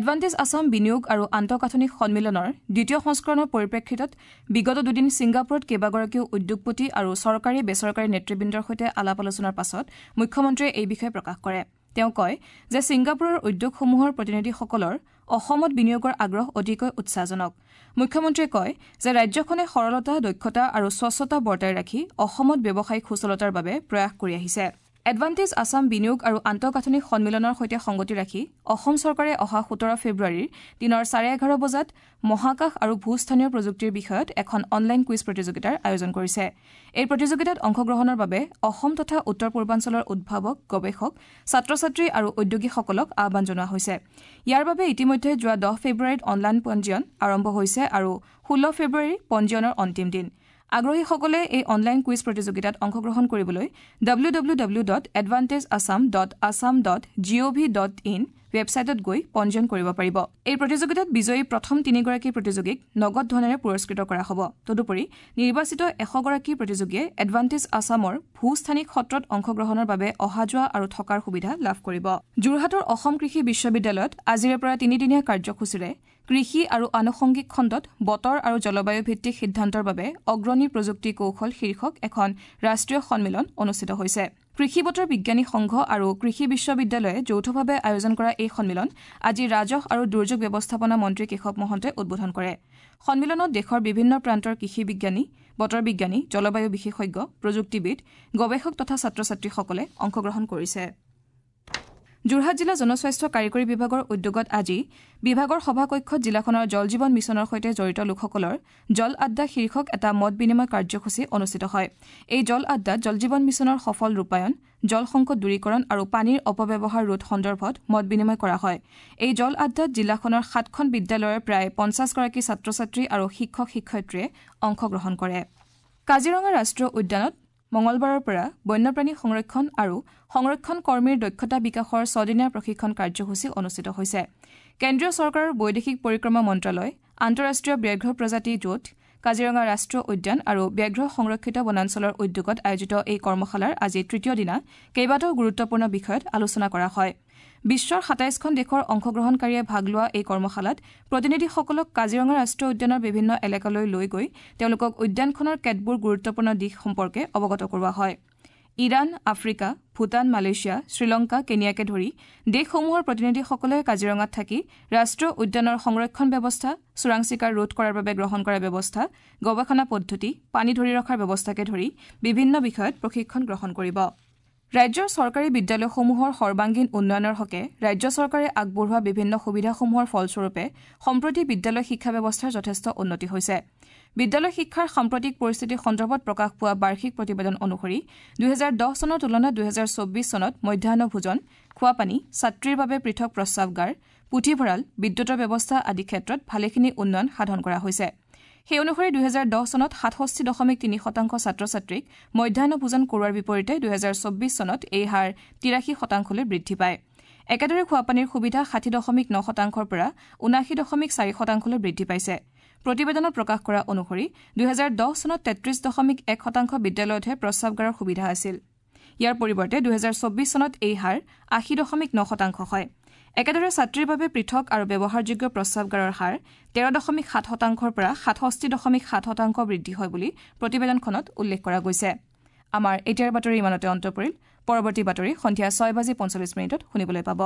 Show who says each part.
Speaker 1: Advantage Assam বিনিয়োগ আৰু আন্তঃগাঁথনি সন্মিলনৰ দ্বিতীয় সংস্কৰণৰ পৰিপ্ৰেক্ষিতত বিগত দুদিন ছিংগাপুৰত কেইবাগৰাকীও উদ্যোগপতি আৰু চৰকাৰী বেচৰকাৰী নেতৃবৃন্দৰ সৈতে আলাপ আলোচনাৰ পাছত মুখ্যমন্ত্ৰীয়ে এই বিষয়ে প্ৰকাশ কৰে। তেওঁ কয় যে ছিংগাপুৰৰ উদ্যোগসমূহৰ প্ৰতিনিধিসকলৰ অসমত বিনিয়োগৰ আগ্ৰহ অতিকৈ উৎসাহজনক। মুখ্যমন্ত্ৰীয়ে কয় যে ৰাজ্যখনে সৰলতা, দক্ষতা আৰু স্বচ্ছতা বৰ্তাই ৰাখি অসমত ব্যৱসায়িক সুচলতাৰ বাবে প্ৰয়াস কৰি আহিছে। এডভান্টেজ আছাম বিনিয়োগ আৰু আন্তঃগাঁথনি সন্মিলনৰ সৈতে সংগতি ৰাখি অসম চৰকাৰে অহা 17 ফেব্ৰুৱাৰীৰ দিনৰ 11:30 বজাত মহাকাশ আৰু ভূস্থানীয় প্ৰযুক্তিৰ বিষয়ত এখন অনলাইন কুইজ প্ৰতিযোগিতাৰ আয়োজন কৰিছে। এই প্ৰতিযোগিতাত অংশগ্ৰহণৰ বাবে অসম তথা উত্তৰ পূৰ্বাঞ্চলৰ উদ্ভাৱক, গৱেষক, ছাত্ৰ ছাত্ৰী আৰু উদ্যোগীসকলক আহ্বান জনোৱা হৈছে। ইয়াৰ বাবে ইতিমধ্যে যোৱা 10 ফেব্ৰুৱাৰীত অনলাইন পঞ্জীয়ন আৰম্ভ হৈছে আৰু 16 ফেব্ৰুৱাৰী পঞ্জীয়নৰ অন্তিম দিন। আগ্ৰহীসকলে এই অনলাইন কুইজ প্ৰতিযোগিতাত অংশগ্ৰহণ কৰিবলৈ www.advantageassam.assam.gov.in ৱেবছাইটত গৈ পঞ্জীয়ন কৰিব পাৰিব। এই প্ৰতিযোগিতাত বিজয়ী প্ৰথম 3গৰাকী প্ৰতিযোগীক নগদ ধনেৰে পুৰস্কৃত কৰা হ'ব। তদুপৰি নিৰ্বাচিত 100গৰাকী প্ৰতিযোগীয়ে এডভান্টেজ আছামৰ ভূস্থানিক সত্ৰত অংশগ্ৰহণৰ বাবে অহা যোৱা আৰু থকাৰ সুবিধা লাভ কৰিব। যোৰহাটৰ অসম কৃষি বিশ্ববিদ্যালয়ত আজিৰে পৰা তিনিদিনীয়া কাৰ্যসূচীৰে কৃষি আৰু আনুষংগিক খণ্ডত বতৰ আৰু জলবায়ু ভিত্তিক সিদ্ধান্তৰ বাবে অগ্ৰণী প্ৰযুক্তি কৌশল শীৰ্ষক এখন ৰাষ্ট্ৰীয় সন্মিলন অনুষ্ঠিত হৈছে। কৃষি বতৰ বিজ্ঞানী সংঘ আৰু কৃষি বিশ্ববিদ্যালয়ে যৌথভাৱে আয়োজন কৰা এই সন্মিলন আজি ৰাজহ আৰু দুৰ্যোগ ব্যৱস্থাপনা মন্ত্ৰী কেশৱ মহন্তই উদ্বোধন কৰে। সন্মিলনত দেশৰ বিভিন্ন প্ৰান্তৰ কৃষি বিজ্ঞানী, বতৰ বিজ্ঞানী, জলবায়ু বিশেষজ্ঞ, প্ৰযুক্তিবিদ, গৱেষক তথা ছাত্ৰ ছাত্ৰীসকলে অংশগ্ৰহণ কৰিছে। যোৰহাট জিলা জনস্বাস্থ্য কাৰিকৰী বিভাগৰ উদ্যোগত আজি বিভাগৰ সভাকক্ষত জিলাখনৰ জল জীৱন মিছনৰ সৈতে জড়িত লোকসকলৰ জল আড্ডা শীৰ্ষক এটা মত বিনিময় কাৰ্যসূচী অনুষ্ঠিত হয়। এই জল আড্ডাত জল জীৱন মিছনৰ সফল ৰূপায়ণ, জল সংকট দূৰীকৰণ আৰু পানীৰ অপব্যৱহাৰ ৰোধ সন্দৰ্ভত মত বিনিময় কৰা হয়। এই জল আড্ডাত জিলাখনৰ 7খন বিদ্যালয়ৰ প্ৰায় 50গৰাকী ছাত্ৰ ছাত্ৰী আৰু শিক্ষক শিক্ষয়িত্ৰীয়ে অংশগ্ৰহণ কৰে। কাজিৰঙা ৰাষ্ট্ৰীয় উদ্যানত মঙলবাৰৰ পৰা বন্যপ্ৰাণী সংৰক্ষণ আৰু সংৰক্ষণ কৰ্মীৰ দক্ষতা বিকাশৰ 6দিনীয়া প্ৰশিক্ষণ কাৰ্যসূচী অনুষ্ঠিত হৈছে। কেন্দ্ৰীয় চৰকাৰৰ বৈদেশিক পৰিক্ৰমা মন্ত্ৰালয়, আন্তঃৰাষ্ট্ৰীয় ব্যাঘ্ৰ প্ৰজাতি জোঁট, কাজিৰঙা ৰাষ্ট্ৰীয় উদ্যান আৰু ব্যাঘ্ৰ সংৰক্ষিত বনাঞ্চলৰ উদ্যোগত আয়োজিত এই কৰ্মশালাৰ আজি তৃতীয় দিনা কেইবাটাও গুৰুত্বপূৰ্ণ বিষয়ত আলোচনা কৰা হয়। বিশ্বৰ 27খন দেশৰ অংশগ্ৰহণকাৰীয়ে ভাগ লোৱা এই কৰ্মশালাত প্ৰতিনিধিসকলক কাজিৰঙা ৰাষ্ট্ৰীয় উদ্যানৰ বিভিন্ন এলেকালৈ লৈ গৈ তেওঁলোকক উদ্যানখনৰ কেতবোৰ গুৰুত্বপূৰ্ণ দিশ সম্পৰ্কে অৱগত কৰোৱা হয়। Iran, Africa, Bhutan, Malaysia, Sri Lanka, কেনিয়াকে ধৰি দেশসমূহৰ প্ৰতিনিধিসকলে কাজিৰঙাত থাকি ৰাষ্ট্ৰীয় উদ্যানৰ সংৰক্ষণ ব্যৱস্থা, চোৰাং চিকাৰ ৰোধ কৰাৰ বাবে গ্ৰহণ কৰা ব্যৱস্থা, গৱেষণা পদ্ধতি, পানী ধৰি ৰখাৰ ব্যৱস্থাকে ধৰি বিভিন্ন বিষয়ত প্ৰশিক্ষণ গ্ৰহণ কৰিব। ৰাজ্যৰ চৰকাৰী বিদ্যালয়সমূহৰ সৰ্বাংগীন উন্নয়নৰ হকে ৰাজ্য চৰকাৰে আগবঢ়োৱা বিভিন্ন সুবিধাসমূহৰ ফলস্বৰূপে সম্প্ৰতি বিদ্যালয় শিক্ষা ব্যৱস্থাৰ যথেষ্ট উন্নতি হৈছে। বিদ্যালয় শিক্ষাৰ সাম্প্ৰতিক পৰিস্থিতি সন্দৰ্ভত প্ৰকাশ পোৱা বাৰ্ষিক প্ৰতিবেদন অনুসৰি 2010 চনৰ তুলনাত 2024 চনত মধ্যাহ্ন ভোজন, খোৱাপানী, ছাত্ৰীৰ বাবে পৃথক প্ৰস্ৰাৱগাৰ, পুথিভঁৰাল, বিদ্যুতৰ ব্যৱস্থা আদি ক্ষেত্ৰত ভালেখিনি উন্নয়ন সাধন কৰা হৈছে। সেই অনুসৰি 2010 চনত 67.3% ছাত্ৰ ছাত্ৰীক মধ্যাহ্ন ভোজন কৰোৱাৰ বিপৰীতে 2024 চনত এই হাৰ 83%লৈ বৃদ্ধি পায়। একেদৰে খোৱাপানীৰ সুবিধা 60.9%ৰ পৰা 79.4%লৈ বৃদ্ধি পাইছে। প্ৰতিবেদনত প্ৰকাশ কৰা অনুসৰি 2010 চনত 33.1% বিদ্যালয়তহে প্ৰস্ৰাৱগাৰৰ সুবিধা আছিল। ইয়াৰ পৰিৱৰ্তে 2024 চনত এই হাৰ 80.9% হয়। একেদৰে ছাত্ৰীৰ বাবে পৃথক আৰু ব্যৱহাৰযোগ্য প্ৰস্ৰাৱগাৰৰ হাৰ 13.7%ৰ পৰা 67.7% বৃদ্ধি হয় বুলি প্ৰতিবেদনখনত উল্লেখ কৰা গৈছে। আমাৰ এতিয়াৰ বাতৰি ইমানতে অন্ত পৰিল। পৰৱৰ্তী বাতৰি সন্ধিয়া 6:45 শুনিবলৈ পাব।